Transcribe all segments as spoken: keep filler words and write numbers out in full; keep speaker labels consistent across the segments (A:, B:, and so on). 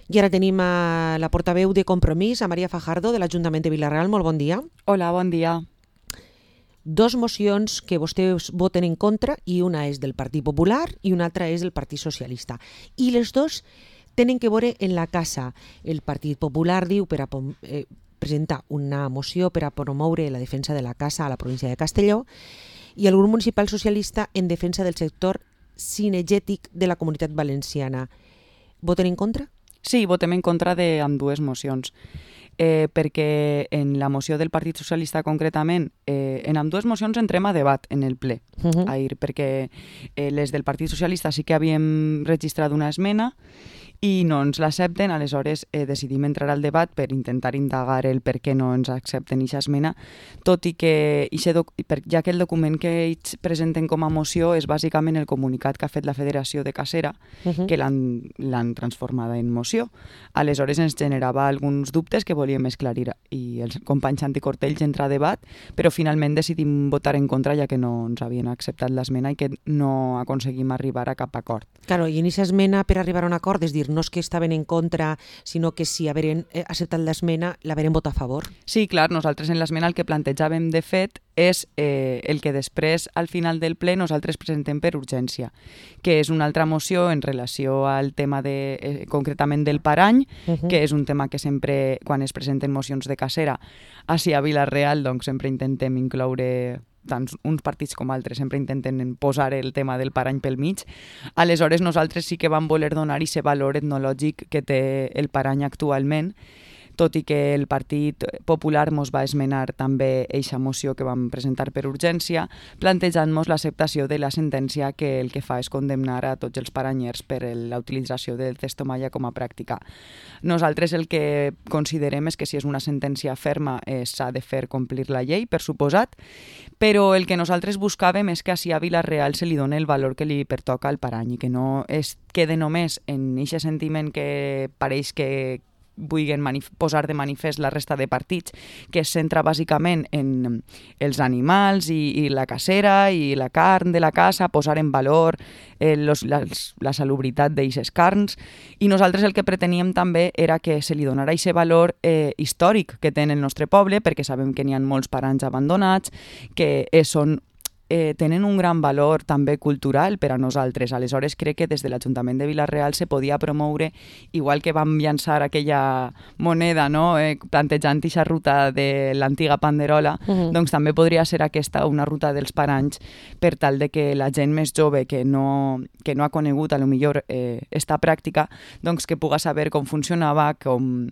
A: I ara tenim a la portaveu de Compromís, a Maria Fajardo, de l'Ajuntament de Vila-real. Molt bon dia.
B: Hola, bon dia.
A: Dos mocions que vostès voten en contra, i una és del Partit Popular i una altra és del Partit Socialista. I les dos tenen que veure en la casa. El Partit Popular diu per a eh, presentar una moció per a promoure la defensa de la casa a la província de Castelló, i el grup municipal socialista en defensa del sector cinegètic de la Comunitat Valenciana. Voten en contra?
B: Sí, votem en contra d'ambdues mocions. Eh, perquè en la moció del Partit Socialista concretament, eh, en ambdues mocions entrem a debat en el ple,
A: Uh-huh.
B: ahir, perquè eh, les del Partit Socialista sí que havíem registrat una esmena i no ens l'accepten, aleshores eh, decidim entrar al debat per intentar indagar el per què no ens accepten aquesta esmena, tot i que ixe doc- per- ja que el document que ells presenten com a moció és bàsicament el comunicat que ha fet la Federació de Cacera,
A: Uh-huh.
B: que l'han l'han transformada en moció. Aleshores ens generava alguns dubtes que volíem esclarir i els companys Santi Cortells entra a debat, però finalment decidim votar en contra ja que no ens havien acceptat l'esmena i que no aconseguim arribar a cap acord.
A: Claro, i en aquesta esmena per arribar a un acord, és dir, no és que estaven en contra, sinó que si haveren eh, acceptat l'esmena, l'haveren votat a favor.
B: Sí, clar, nosaltres en l'esmena el que plantejàvem de fet és eh, el que després, al final del ple, nosaltres presentem per urgència, que és una altra moció en relació al tema de, eh, concretament del parany,
A: Uh-huh.
B: que és un tema que sempre, quan es presenten mocions de cacera, així a Vila-real, doncs sempre intentem incloure tant uns partits com altres, sempre intenten posar el tema del parany pel mig. Aleshores, nosaltres sí que vam voler donar aquest valor etnològic que té el parany actualment, tot i que el Partit Popular mos va esmenar també eixa moció que vam presentar per urgència, plantejant-nos l'acceptació de la sentència que el que fa és condemnar a tots els paranyers per la utilització del testomalla com a pràctica. Nosaltres el que considerem és que si és una sentència ferma eh, s'ha de fer complir la llei, per suposat, però el que nosaltres buscàvem és que així a Vila-real se li doni el valor que li pertoca al parany i que no es quede només en aquest sentiment que pareix que vulguin manif- posar de manifest la resta de partits, que es centra bàsicament en els animals i, i la cacera i la carn de la casa, posar en valor eh, los, la, la salubritat d'eixes carns, i nosaltres el que preteníem també era que se li donara aquest valor eh, històric que té en el nostre poble, perquè sabem que n'hi ha molts paranys abandonats, que eh, són Eh, tenen un gran valor també cultural per a nosaltres. Aleshores crec que des de l'Ajuntament de Vila-real se podia promoure, igual que vam llançar aquella moneda, no? eh, plantejant aquesta ruta de l'antiga Panderola,
A: Uh-huh.
B: doncs també podria ser aquesta una ruta dels paranys per tal de que la gent més jove que no, que no ha conegut a lo millor eh, esta pràctica, doncs que puga saber com funcionava, com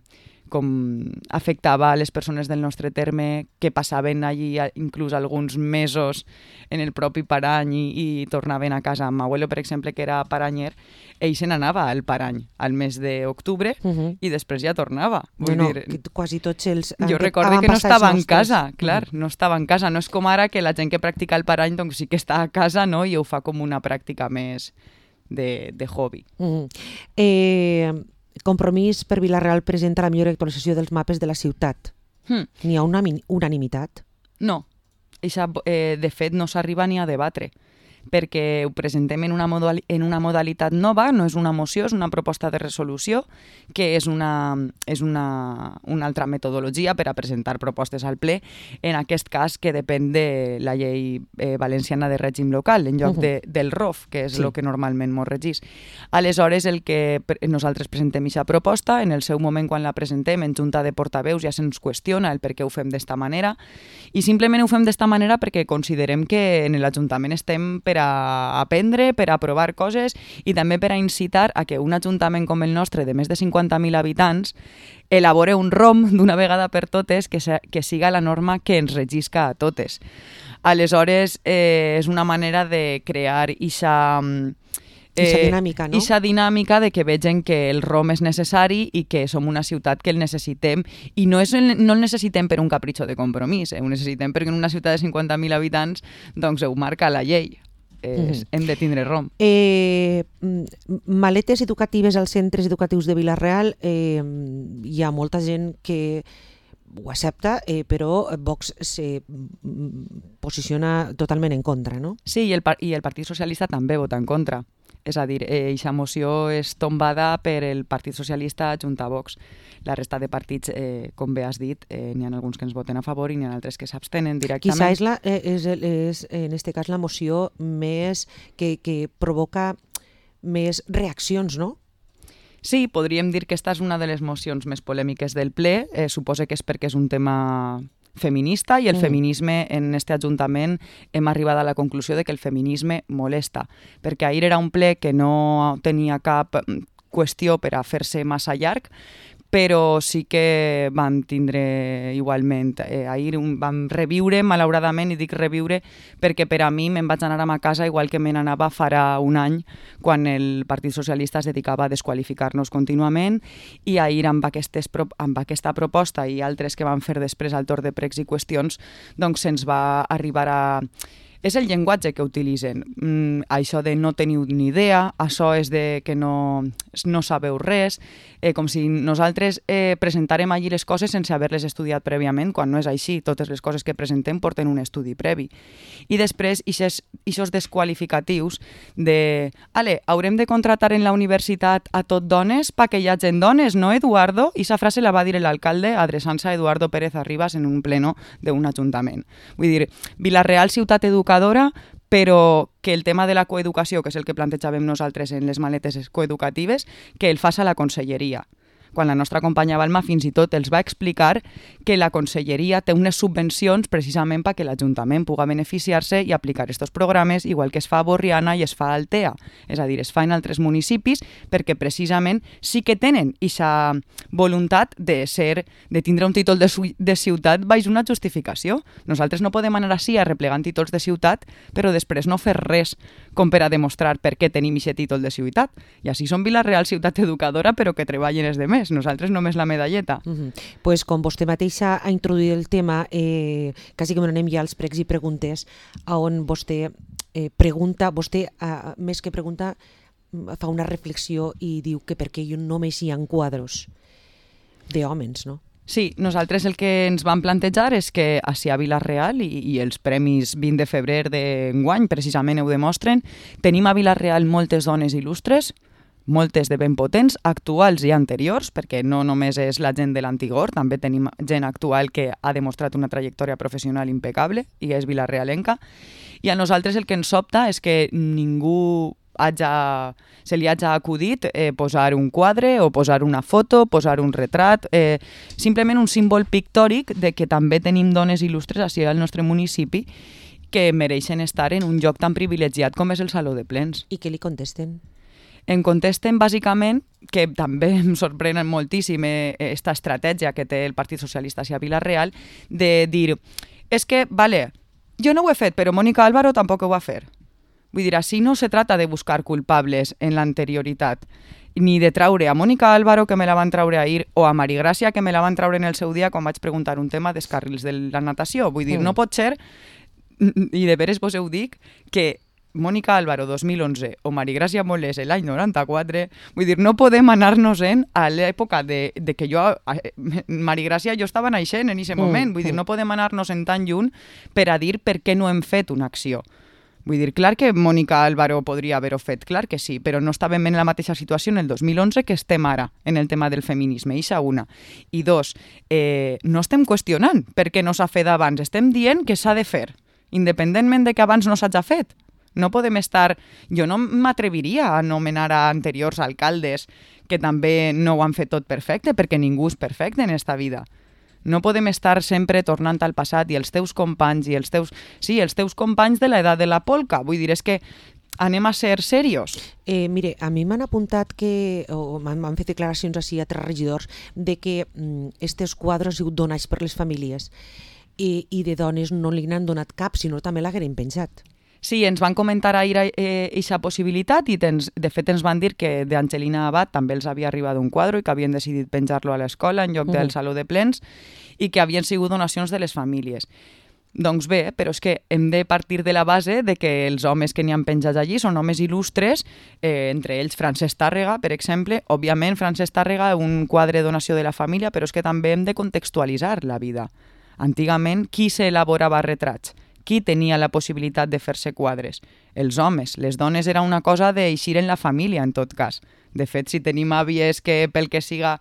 B: com afectava a les persones del nostre terme, que passaven allí inclús alguns mesos en el propi parany i, i tornaven a casa. Amb abuelo, per exemple, que era paranyer, ell se n'anava al parany al mes d'octubre
A: Uh-huh.
B: i després ja tornava. Vull
A: Bueno,
B: dir,
A: que quasi tots els...
B: jo recorde que no estava en casa, clar, no estava en casa. No és com ara que la gent que practica el parany doncs sí que està a casa, no? I ho fa com una pràctica més de, de hobby.
A: Uh-huh. Eh, Compromís per Vila-real presenta la millor actualització dels mapes de la ciutat.
B: Hmm.
A: N'hi ha una min- unanimitat?
B: No, eixa, eh, de fet no s'arriba ni a debatre, perquè ho presentem en una, modali- en una modalitat nova, no és una moció, és una proposta de resolució, que és una, és una, una altra metodologia per a presentar propostes al ple, en aquest cas que depèn de la llei eh, valenciana de règim local, en lloc
A: Uh-huh.
B: de, del R O F, que és
A: Sí.
B: el que normalment mos regís. Aleshores, el que pre- nosaltres presentem aquesta proposta, en el seu moment quan la presentem en junta de portaveus ja se'ns qüestiona el per què ho fem d'esta manera, i simplement ho fem d'esta manera perquè considerem que en l'Ajuntament estem per a aprendre, per a provar coses i també per a incitar a que un ajuntament com el nostre de més de cinquanta mil habitants elabore un R O M d'una vegada per totes que, se, que siga la norma que ens regisca a totes. Aleshores, eh, és una manera de crear ixa...
A: Ixa dinàmica, no?
B: Ixa dinàmica de que vegen que el R O M és necessari i que som una ciutat que el necessitem, i no, és el, no el necessitem per un capritxo de compromís, eh? Ho necessitem perquè en una ciutat de cinquanta mil habitants doncs ho marca la llei. Eh,
A: Mhm.
B: Hem de tindre R O M.
A: Eh, mm, maletes educatives als centres educatius de Vila-real, eh, hi ha molta gent que ho accepta, eh, però Vox se mm, posiciona totalment en contra, no?
B: Sí, i el, par- i el Partit Socialista també vota en contra. És a dir, aquesta eh, moció és tombada per el Partit Socialista junt a Vox. La resta de partits, eh, com bé has dit, eh, n'hi ha alguns que ens voten a favor i n'hi ha altres que s'abstenen directament.
A: Quizá és, la, és, és, en este cas, la moció més que, que provoca més reaccions, no?
B: Sí, podríem dir que esta és una de les mocions més polèmiques del ple. Eh, suposo que és perquè és un tema feminista i el mm. feminisme en este Ajuntament hem arribat a la conclusió de que el feminisme molesta, perquè ahir era un ple que no tenia cap qüestió per a fer-se massa llarg, però sí que vam tindre igualment, eh, ahir un, vam reviure, malauradament, i dic reviure perquè per a mi me'n vaig anar a ma casa igual que me n'anava farà un any quan el Partit Socialista es dedicava a desqualificar-nos contínuament, i ahir amb, aquestes, amb aquesta proposta i altres que van fer després al torn de pregs i qüestions, doncs se'ns va arribar a... És el llenguatge que utilitzen. Mm, això de no teniu ni idea, això és de que no, no sabeu res, eh, com si nosaltres eh, presentàrem allí les coses sense haver-les estudiat prèviament, quan no és així. Totes les coses que presentem porten un estudi previ. I després, aquests desqualificatius de ale, haurem de contratar en la universitat a tot dones perquè hi hagin dones, no, Eduardo? I aquesta frase la va dir l'alcalde adreçant-se a Eduardo Pérez Arribas en un pleno d'un ajuntament. Vull dir, Vila-real, ciutat educadora, però que el tema de la coeducació, que és el que plantejàvem nosaltres en les maletes coeducatives, que el fas a la conselleria. Quan la nostra companya Balma fins i tot els va explicar que la conselleria té unes subvencions precisament perquè l'Ajuntament pugui beneficiar-se i aplicar aquests programes, igual que es fa a Borriana i es fa a Altea. És a dir, es fa en altres municipis perquè precisament sí que tenen aquesta voluntat de ser, de tindre un títol de, de ciutat baix una justificació. Nosaltres no podem anar així arreplegant títols de ciutat, però després no fer res com per a demostrar per què tenim aquest títol de ciutat. I així som Vila-real, ciutat educadora, però que treballen els demés. Nosaltres només la medalleta.
A: Uh -huh. Pues com vostè mateixa ha introduït el tema, eh, quasi que m'anem ja als pregs i preguntes, on vostè eh, pregunta, vostè eh, més que pregunta fa una reflexió i diu que per què només hi ha quadros d'hòmens, no?
B: Sí, nosaltres el que ens vam plantejar és que així a Vila-real, i, i els premis vint de febrer d'enguany precisament ho demostren, tenim a Vila-real moltes dones il·lustres, moltes de ben potents, actuals i anteriors, perquè no només és la gent de l'Antigor, també tenim gent actual que ha demostrat una trajectòria professional impecable i és vilarealenca. I a nosaltres el que ens sobta és que ningú haja, se li hagi acudit eh, posar un quadre o posar una foto, posar un retrat, eh, simplement un símbol pictòric de que també tenim dones il·lustres així al nostre municipi que mereixen estar en un lloc tan privilegiat com és el Saló de Plens.
A: I què li contesten?
B: Em contesten bàsicament, que també em sorprèn moltíssim aquesta estratègia que té el Partit Socialista a Vila-real, de dir, és que, vale, jo no ho he fet, però Mónica Álvaro tampoc ho va fer. Vull dir, així no se trata de buscar culpables en l'anterioritat, ni de traure a Mónica Álvaro, que me la van traure ahir, o a Mari Gràcia, que me la van traure en el seu dia quan vaig preguntar un tema dels carrils de la natació. Vull dir, mm. no pot ser, i de veres vos ho dic, que Mónica Álvaro dos mil onze o Mari Gràcia Molés l'any noranta-quatre, vull dir, no podem anar-nos-en a l'època de, de que jo, Mari Gràcia, jo estava naixent en aquest moment, vull dir, no podem anar-nos-en tan lluny per a dir per què no hem fet una acció. Vull dir, clar que Mónica Álvaro podria haver-ho fet, clar que sí, però no estàvem en la mateixa situació en el dos mil onze que estem ara en el tema del feminisme, ixa una. I dos, eh, no estem qüestionant per què no s'ha fet abans, estem dient que s'ha de fer, independentment de que abans no s'hagi fet. No podem estar... Jo no m'atreviria a anomenar a anteriors alcaldes que també no ho han fet tot perfecte, perquè ningú és perfecte en esta vida. No podem estar sempre tornant al passat i els teus companys i els teus... Sí, els teus companys de l'edat de la polca. Vull dir, és que anem a ser serios.
A: Eh, mire, a mi m'han apuntat que, o m'han fet declaracions així a tres regidors, de que mm, estes quadres han donats per les famílies i, i de dones no li n'han donat cap, sinó també l'hagueren penjat.
B: Sí, ens van comentar ahir aquesta eh, possibilitat i tens, de fet ens van dir que d'Angelina Abad també els havia arribat un quadre i que havien decidit penjar-lo a l'escola en lloc del uh-huh. Saló de Plens i que havien sigut donacions de les famílies. Doncs bé, però és que hem de partir de la base de que els homes que n'hi han penjat allí són homes il·lustres, eh, entre ells Francesc Tàrrega, per exemple. Òbviament, Francesc Tàrrega, un quadre de donació de la família, però és que també hem de contextualitzar la vida. Antigament, qui s'elaborava retrats? Qui tenia la possibilitat de fer-se quadres? els homes. Les dones era una cosa d'eixir en la família, en tot cas. De fet, si tenim àvies que pel que siga...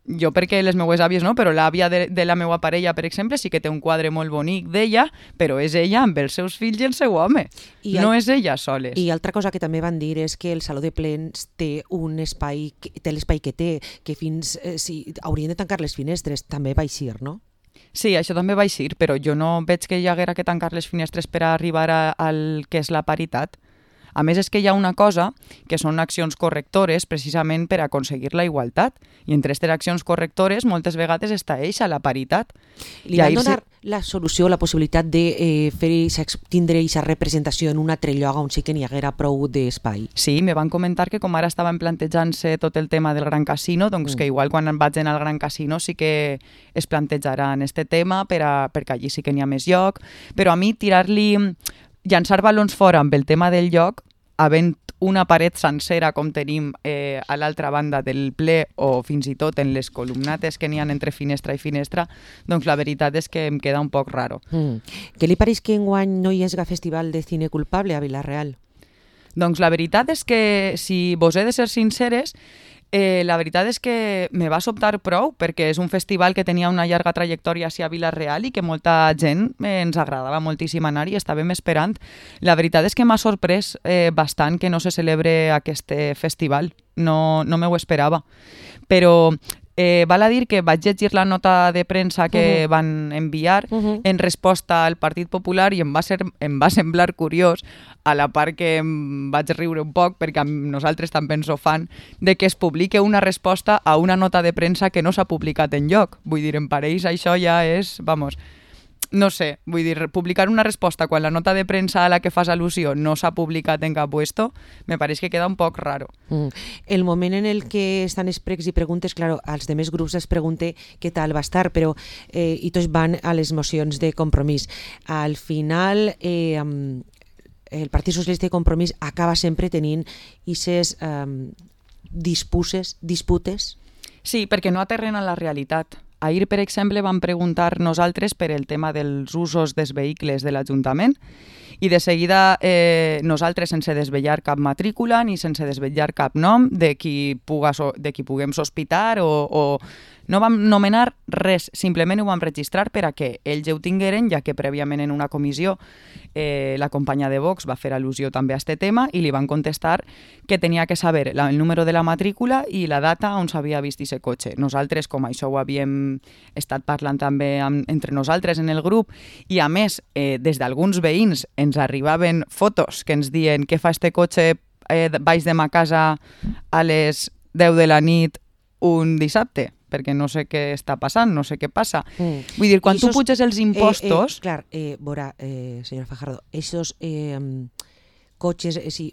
B: Jo perquè les meues àvies no, però l'àvia de, de la meva parella, per exemple, sí que té un quadre molt bonic d'ella, però és ella amb els seus fills i el seu home. I no el... és ella soles.
A: I altra cosa que també van dir és que el Saló de Plens té un espai, té l'espai que té, que fins eh, si haurien de tancar les finestres, també va eixir, no?
B: Sí, això també va eixir, però jo no veig que hi haguera que tancar les finestres per arribar a, al que és la paritat. A més, és que hi ha una cosa que són accions correctores precisament per aconseguir la igualtat. I entre aquestes accions correctores moltes vegades està eixa la paritat.
A: Li van donar se... la solució, la possibilitat de eh, fer tindre aquesta representació en un altre lloc on sí que n'hi haguera prou d'espai.
B: Sí, me van comentar que com ara estaven plantejant-se tot el tema del Gran Casino, doncs mm. que igual quan vagin al Gran Casino sí que es plantejaran este tema per a, perquè allí sí que n'hi ha més lloc. Però a mi tirar-li... llançar balons fora amb el tema del lloc, havent una paret sencera com tenim eh, a l'altra banda del ple o fins i tot en les columnates que n'hi ha entre finestra i finestra, doncs la veritat és que em queda un poc raro.
A: Mm. Què li pareix que enguany no hi hagi festival de cine culpable a Vila-real?
B: Doncs la veritat és que, si vos he de ser sinceres, Eh, la veritat és que me va sobtar prou perquè és un festival que tenia una llarga trajectòria a Vila-real i que molta gent eh, ens agradava moltíssim anar i estàvem esperant. La veritat és que m'ha sorprès eh, bastant que no se celebre aquest festival. No, no me ho esperava. Però eh, val a dir que vaig llegir la nota de premsa que uh-huh. van enviar uh-huh. en resposta al Partit Popular i em va, ser, em va semblar curiós, a la part que em vaig riure un poc, perquè nosaltres també ens ho fan, de que es publique una resposta a una nota de premsa que no s'ha publicat enlloc. Vull dir, en pareix això ja és, vamos, no sé, vull dir, publicar una resposta quan la nota de premsa a la que fas al·lusió no s'ha publicat en cap puesto, me pareix que queda un poc raro.
A: Mm. El moment en el que estan els pregs i preguntes, claro, als demés grups els pregunte què tal va estar, però eh, i tots van a les mocions de Compromís. Al final... Eh, el Partit Socialista i Compromís acaba sempre tenint aquestes um, disputes, disputes.
B: Sí, perquè no aterren a la realitat. Ahir, per exemple, vam preguntar nosaltres per el tema dels usos dels vehicles de l'Ajuntament i de seguida eh, nosaltres, sense desvetllar cap matrícula ni sense desvetllar cap nom de qui, puga so, de qui puguem sospitar o, o no vam nomenar res, simplement ho vam registrar per a que ells ho tingueren, ja que prèviament en una comissió eh, la companya de Vox va fer al·lusió també a aquest tema i li van contestar que tenia que saber la, el número de la matrícula i la data on s'havia vist aquest cotxe. Nosaltres, com això ho havíem estat parlant també amb, entre nosaltres en el grup i a més, eh, des d'alguns veïns ens arribaven fotos que ens diuen què fa este cotxe eh, baix de ma casa a les deu de la nit un dissabte, perquè no sé què està passant, no sé què passa. Mm. Vull dir, quan tu puges els impostos...
A: Eh, eh, clar, eh, veurà, eh, senyora Fajardo, esos eh, cotxes... Eh, sí,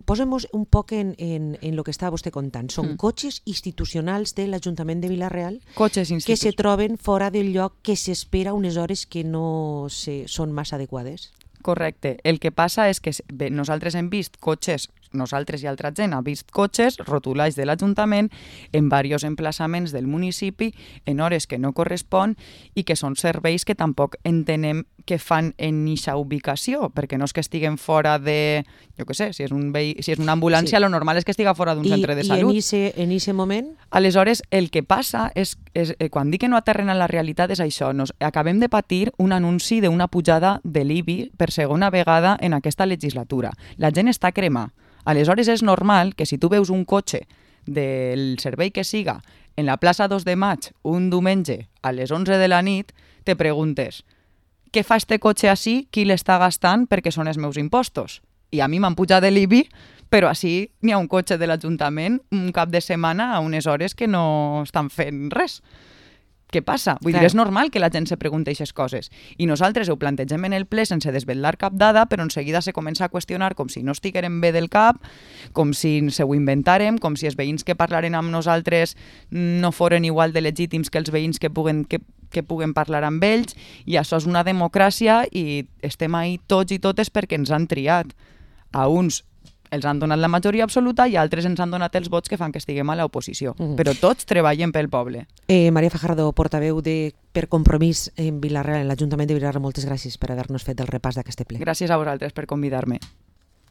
A: posem-nos un poc en, en, en lo que està vostè contant. Són mm. cotxes institucionals de l'Ajuntament de Vila-real
B: cotxes institu...
A: que se troben fora del lloc que s'espera unes hores que no se, són massa adequades.
B: Correcte. El que passa és que bé, nosaltres hem vist cotxes, nosaltres i altra gent ha vist cotxes rotulats de l'Ajuntament en diversos emplaçaments del municipi en hores que no correspon i que són serveis que tampoc entenem que fan en eixa ubicació, perquè no és que estiguen fora de, jo què sé, si és, un vehi, si és una ambulància, sí. Lo normal és que estiga fora d'un centre de salut.
A: I en aquest moment?
B: Aleshores, el que passa és, és eh, quan dic que no aterren a la realitat és això, nos acabem de patir un anunci d'una pujada de l'I B I per segona vegada en aquesta legislatura. La gent està crema. Aleshores és normal que si tu veus un cotxe del servei que siga en la plaça dos de maig un diumenge a les onze de la nit, te preguntes què fa este cotxe així, qui l'està gastant perquè són els meus impostos? I a mi m'han pujat de l'I B I, però així n'hi ha un cotxe de l'Ajuntament un cap de setmana a unes hores que no estan fent res. Què passa? Vull dir, és normal que la gent se pregunti aquestes coses. I nosaltres ho plantegem en el ple sense desvetllar cap dada, però en seguida se comença a qüestionar com si no estiguérem bé del cap, com si se ho inventàrem, com si els veïns que parlaren amb nosaltres no foren igual de legítims que els veïns que puguen, que, que puguen parlar amb ells, i això és una democràcia i estem ahí tots i totes perquè ens han triat. A uns els han donat la majoria absoluta i altres ens han donat els vots que fan que estiguem a l'oposició. Mm. Però tots treballem pel poble.
A: Eh, Maria Fajardo, portaveu de Per Compromís en Vila-real, en l'Ajuntament de Vila-real, moltes gràcies per haver-nos fet el repàs d'aquest ple.
B: Gràcies a vosaltres per convidar-me.